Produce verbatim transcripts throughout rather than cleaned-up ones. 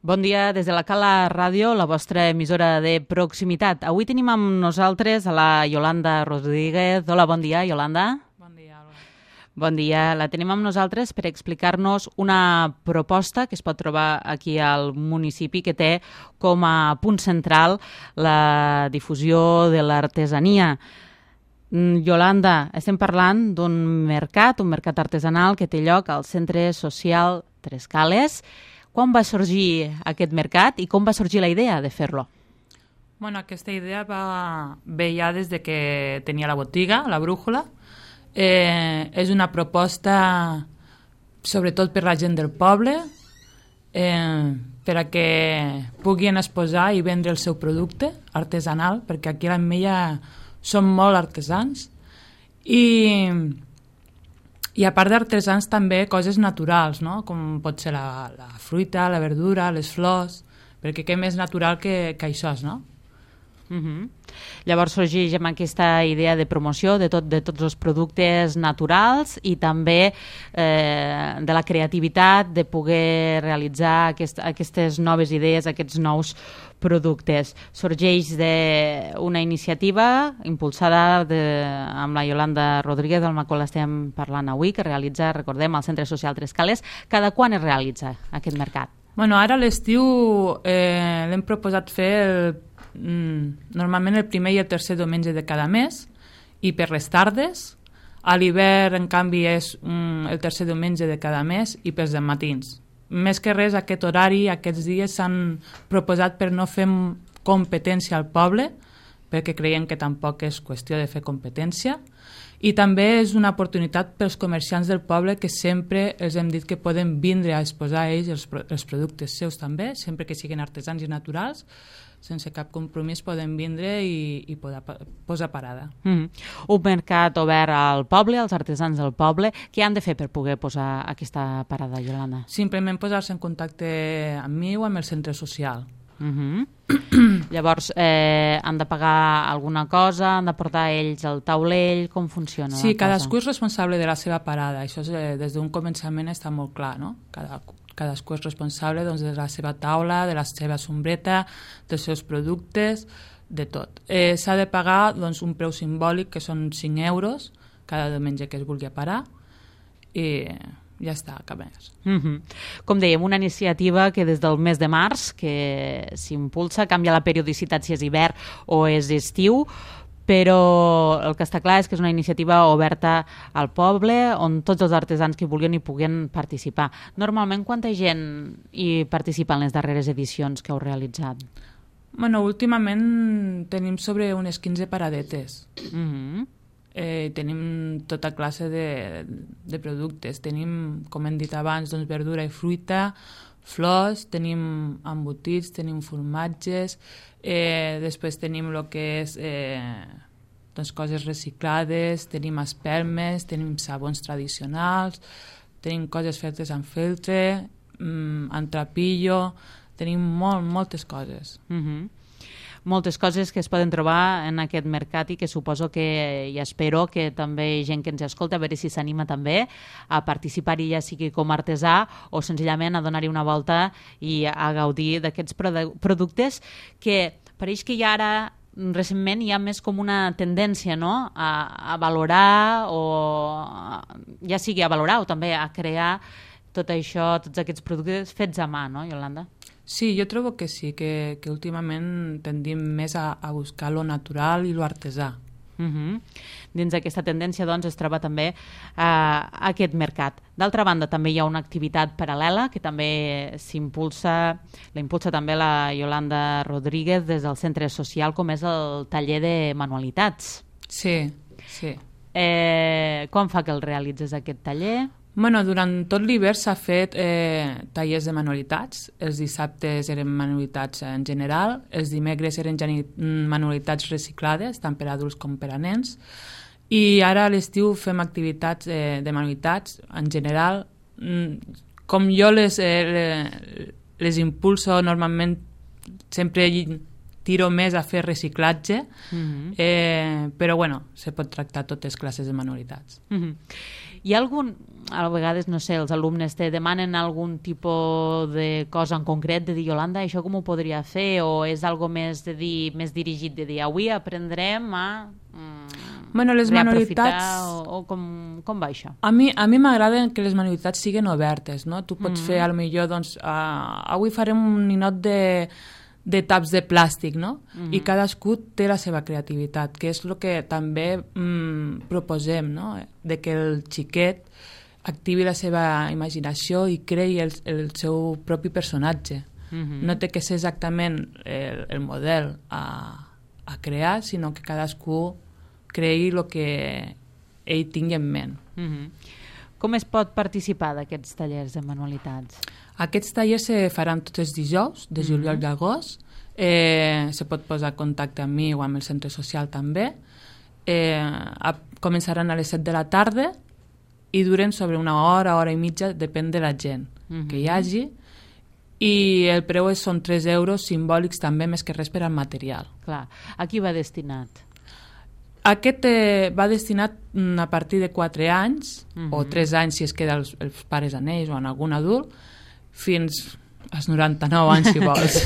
Bon dia des de la Cala Ràdio, la vostra emissora de proximitat. Avui tenim amb nosaltres a la Yolanda Rodríguez. Hola, bon dia, Yolanda. Bon dia, Alba. Bon dia. La tenim amb nosaltres per explicar-nos una proposta que es pot trobar aquí al municipi que té com a punt central la difusió de l'artesania. Yolanda, estem parlant d'un mercat, un mercat artesanal que té lloc al Centre Social Tres Cales. Quan va sorgir aquest mercat i com va sorgir la idea de fer-lo? Bueno, aquesta idea va ve ja des de que tenia la botiga, la Brújula. Eh, és una proposta sobretot per la gent del poble, eh, per a que puguin exposar i vendre el seu producte artesanal, perquè aquí a l'Ametlla som molt artesans. I... I a part d'artesans també coses naturals, no? Com pot ser la, la fruita, la verdura, les flors, perquè què més natural que, que això, no? Uh-huh. Llavors sorgeix amb aquesta idea de promoció de, tot, de tots els productes naturals i també eh, de la creativitat de poder realitzar aquest, aquestes noves idees, aquests nous productes. Sorgeix d'una iniciativa impulsada de, amb la Yolanda Rodríguez, amb la qual estem parlant avui, que realitza, recordem, al Centre Social Tres Cales. Cada quan es realitza aquest mercat? Bueno, ara a l'estiu eh, l'hem proposat fer el normalment el primer i el tercer diumenge de cada mes i per les tardes. A l'hivern, en canvi, és um, el tercer diumenge de cada mes i pels matins. Més que res, aquest horari, aquests dies s'han proposat per no fer competència al poble, perquè creiem que tampoc és qüestió de fer competència, i també és una oportunitat pels comerciants del poble que sempre els hem dit que poden vindre a exposar ells els, els productes seus també, sempre que siguin artesans i naturals, sense cap compromís poden vindre i, i poder posar parada. Mm. Un mercat obert al poble, als artesans del poble. Què han de fer per poder posar aquesta parada, Yolanda? Simplement posar-se en contacte amb mi o amb el centre social. Mm-hmm. Llavors, eh, han de pagar alguna cosa, han de portar ells el taulell, com funciona? Sí, cadascú és responsable de la seva parada, això és, eh, des d'un començament està molt clar, no? Cada, cadascú és responsable doncs, de la seva taula, de la seva sombreta, dels seus productes, de tot. Eh, s'ha de pagar doncs, un preu simbòlic, que són cinc euros, cada diumenge que es vulgui parar, i ja està, cap més. Mm-hmm. Com dèiem, una iniciativa que des del mes de març que s'impulsa, canvia la periodicitat si és hivern o és estiu, però el que està clar és que és una iniciativa oberta al poble on tots els artesans que vulguin hi puguen participar. Normalment, quanta gent hi participa en les darreres edicions que heu realitzat? Bueno, últimament tenim sobre unes quinze paradetes. Mm-hmm. Eh, tenim tota classe de, de productes. Tenim, com hem dit abans, doncs, verdura i fruita, flors, tenim embotits, tenim formatges, eh, després tenim el que és eh, doncs, coses reciclades, tenim espelmes, tenim sabons tradicionals, tenim coses fetes amb feltre, mm, amb trapillo, tenim molt, moltes coses. Mm-hmm. Moltes coses que es poden trobar en aquest mercat i que suposo que, i espero que també gent que ens escolta, a veure si s'anima també a participar-hi, ja sigui com a artesà o senzillament a donar-hi una volta i a gaudir d'aquests produ- productes que pareix que ja ara recentment hi ha més com una tendència, no?, a, a valorar o a, ja sigui a valorar o també a crear tot això, tots aquests productes fets a mà, no, Yolanda? Sí, jo trobo que sí, que, que últimament tendim més a, a buscar lo natural i lo artesà. Uh-huh. Dins d'aquesta tendència doncs, es troba també uh, aquest mercat. D'altra banda, també hi ha una activitat paral·lela que també s'impulsa, la impulsa també la Yolanda Rodríguez des del centre social, com és el taller de manualitats. Sí, sí. Eh, quan fa que el realitzes aquest taller? Bueno, durant tot l'hivern s'ha fet eh, tallers de manualitats. Els dissabtes eren manualitats en general, els dimecres eren manualitats reciclades, tant per a adults com per a nens, i ara a l'estiu fem activitats eh, de manualitats en general. Com jo les, eh, les impulso normalment, sempre tiro més a fer reciclatge, mm-hmm. eh, però bueno, se pot tractar totes classes de manualitats. Mm-hmm. Hi ha algun, a vegades, no sé, els alumnes te demanen algun tipus de cosa en concret, de dir, Yolanda, això com ho podria fer? O és algo més de dir, més dirigit, de dir, avui aprendrem a mm, bueno, les manualitats... o, o com, com va això? A mi a mi m'agrada que les manualitats siguin obertes, no? Tu pots mm. fer, a lo millor, doncs, uh, avui farem un ninot de de taps de plàstic, no? Mm-hmm. I cadascú té la seva creativitat, que és el que també mm, proposem, no? De que el xiquet activi la seva imaginació i creï el, el seu propi personatge. Mm-hmm. No té que ser exactament el, el model a, a crear, sinó que cadascú creï el que ell tingui en ment. Mm-hmm. Com es pot participar d'aquests tallers de manualitats? Aquests tallers se faran tots els dijous, de juliol mm-hmm. i agost. Eh, se pot posar en contacte amb mi o amb el centre social també. Eh, a, començaran a les set de la tarda i duren sobre una hora, hora i mitja, depèn de la gent mm-hmm. que hi hagi. I el preu són tres euros simbòlics també, més que res per al material. Clar. A qui va destinat? Aquest eh, va destinat a partir de quatre anys, mm-hmm. o tres anys si es queda els, els pares en ells o en algun adult, fins als noranta-nou anys, si vols.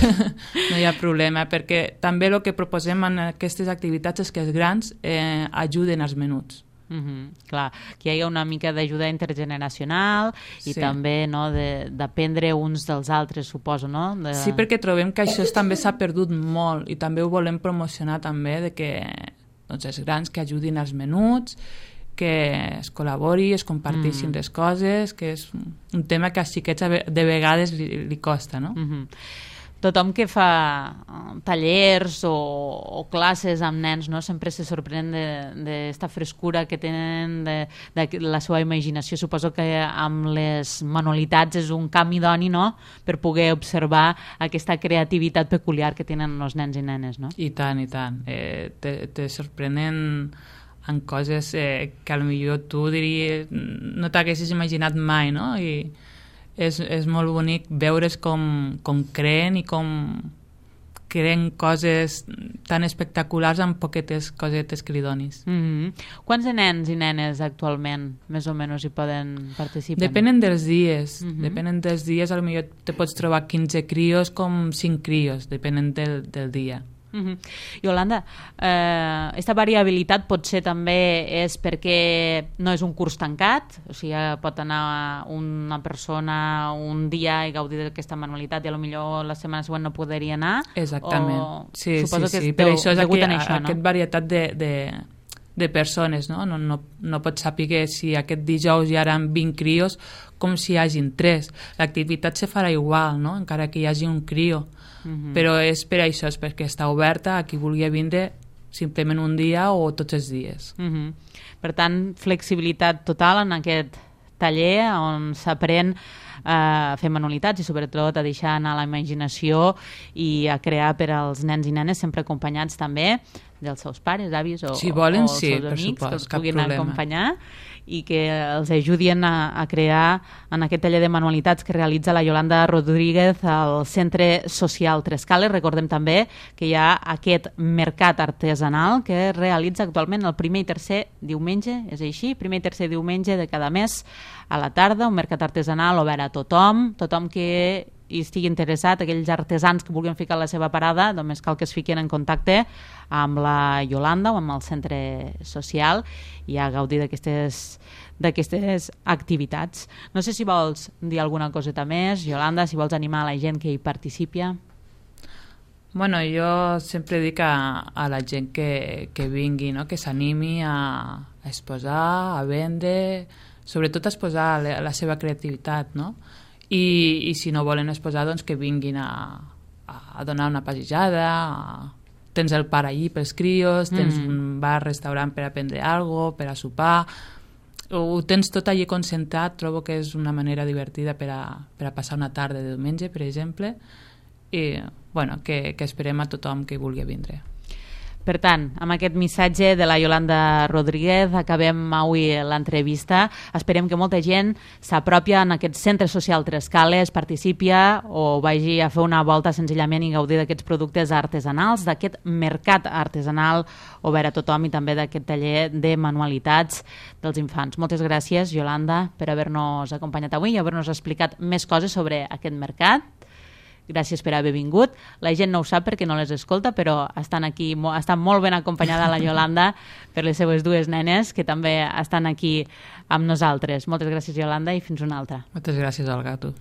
No hi ha problema, perquè també el que proposem en aquestes activitats és que els grans eh, ajuden els menuts. Mm-hmm. Clar, que hi ha una mica d'ajuda intergeneracional i sí. també no, d'aprendre uns dels altres, suposo, no? De... Sí, perquè trobem que això també s'ha perdut molt i també ho volem promocionar també, de que doncs, els grans que ajudin els menuts, que es col·labori, es comparteixin mm. les coses, que és un tema que als xiquets de vegades li, li costa, no? Mm-hmm. Tothom que fa tallers o, o classes amb nens, no? Sempre se sorprèn d'esta frescura que tenen, de, de la seva imaginació. Suposo que amb les manualitats és un camp idoni, no? Per poder observar aquesta creativitat peculiar que tenen els nens i nenes, no? I tant, i tant. Eh, te, te sorprenen en coses eh, que potser tu diries, no t'haguessis imaginat mai, no? I és, és molt bonic veure's com, com creen i com creen coses tan espectaculars amb poquetes cosetes que li donis. Mm-hmm. Quants de nens i nenes actualment més o menys hi poden participar? Depenen dels dies. Mm-hmm. Depenen dels dies, potser te pots trobar quinze crios com cinc crios, depenen del, del dia. Uh-huh. Yolanda, eh, aquesta variabilitat potser també és perquè no és un curs tancat, o sigui, pot anar una persona un dia i gaudir d'aquesta manualitat i potser la setmana següent no podria anar. Exactament. O... Sí, Suposo sí, que sí. Per això és aquí, això, no? Aquest varietat de, de, de persones, no? No, no, no pots saber si aquest dijous hi haurà vint crios com si hi hagin tres. L'activitat se farà igual, no? Encara que hi hagi un crio. Uh-huh. Però és per això, és perquè està oberta a qui vulgui vindre simplement un dia o tots els dies. Uh-huh. Per tant, flexibilitat total en aquest taller on s'aprèn a fer manualitats i sobretot a deixar anar la imaginació i a crear per als nens i nenes, sempre acompanyats també dels seus pares, avis o, si volen, o els sí, seus amics, supost, que els cap puguin problema. acompanyar i que els ajudin a, a crear en aquest taller de manualitats que realitza la Yolanda Rodríguez al Centre Social Tres Cales. Recordem també que hi ha aquest mercat artesanal que es realitza actualment el primer i tercer diumenge, és així, primer i tercer diumenge de cada mes a la tarda, un mercat artesanal obert a tothom, tothom que i estigui interessat, aquells artesans que vulguin ficar la seva parada, només cal que es fiquin en contacte amb la Yolanda o amb el centre social i a gaudir d'aquestes d'aquestes activitats. No sé si vols dir alguna coseta més, Yolanda, si vols animar a la gent que hi participi. Bueno, jo sempre dic a, a la gent que, que vingui, no? Que s'animi a, a exposar, a vendre, sobretot a exposar la, la seva creativitat, no? I, i si no volen exposar, doncs que vinguin a, a donar una passejada, a... tens el parc allí pels crios, tens mm. un bar, restaurant per a prendre alguna cosa, per a sopar, ho tens tot allí concentrat. Trobo que és una manera divertida per a, per a passar una tarda de diumenge, per exemple, i bueno, que, que esperem a tothom que vulgui vindre. Per tant, amb aquest missatge de la Yolanda Rodríguez acabem avui l'entrevista. Esperem que molta gent s'apropi en aquest centre social Trescales, participi o vagi a fer una volta senzillament i gaudir d'aquests productes artesanals, d'aquest mercat artesanal obert a tothom i també d'aquest taller de manualitats dels infants. Moltes gràcies, Yolanda, per haver-nos acompanyat avui i haver-nos explicat més coses sobre aquest mercat. Gràcies per haver vingut. La gent no ho sap perquè no les escolta, però estan aquí, estan molt ben acompanyada la Yolanda per les seues dues nenes, que també estan aquí amb nosaltres. Moltes gràcies, Yolanda, i fins una altra. Moltes gràcies, Olga, a tu.